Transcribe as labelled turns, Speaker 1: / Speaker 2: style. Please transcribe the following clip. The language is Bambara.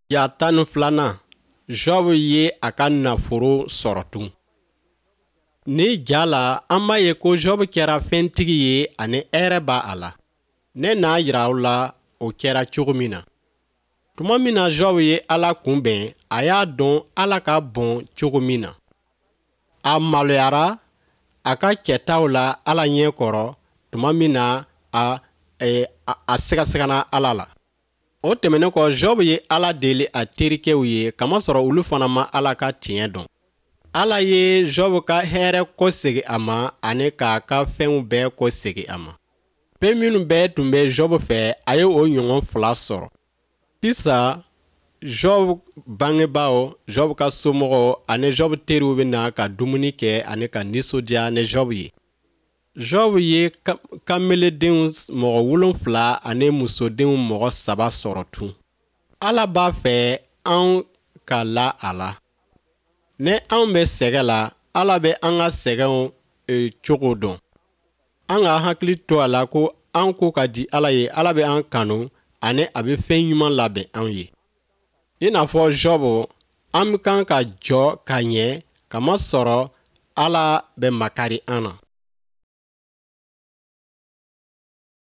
Speaker 1: Ja 12nan, Job ye a ka nafolo sɔrɔ tun. Ni ja la, an b'a ye ko Job kɛra fɛntigi ye ani hɛrɛ b'a a la. Ne n'a yira aw la o kɛra cogo min na. Tuma min na Job ye Ala kunbɛn, a y'a dɔn Ala ka bon cogo min na. A maloyara a ka kɛtaw la Ala ɲɛ kɔrɔ tuma min na a, eh, a, a sigasigana Ala la. O tɛmɛnen kɔ, Job ye Ala deli a terikɛw ye kamasɔrɔ olu fana ma Ala ka tiɲɛ dɔn. Ala ye Job ka hɛrɛ kɔsegin a ma ani k'a ka fɛnw bɛɛ kɔsegin a ma. Fɛn minnu bɛɛ tun bɛ Job fɛ, a ye o ɲɔgɔn fila sɔrɔ. Sisan, Job bangebaaw, Job ka somɔgɔw ani Job teriw bɛ na ka dumuni kɛ ani ka nisɔndiya ni Job ye. Job ye kameledenw mɔgɔ 7 ani musodenw mɔgɔ saba sɔrɔ tun. Ala b'a fɛ anw ka la a la. Ni anw bɛ sɛgɛn la, Ala bɛ an ka sɛgɛnw e, cogo dɔn. An ka hakili to a la ko an ko ka di Ala ye, Ala bɛ an kanu ani a bɛ fɛn ɲuman labɛn anw ye. I n'a fɔ Job, an kan ka jɔ ka ɲɛ kamasɔrɔ Ala bɛ makari an na.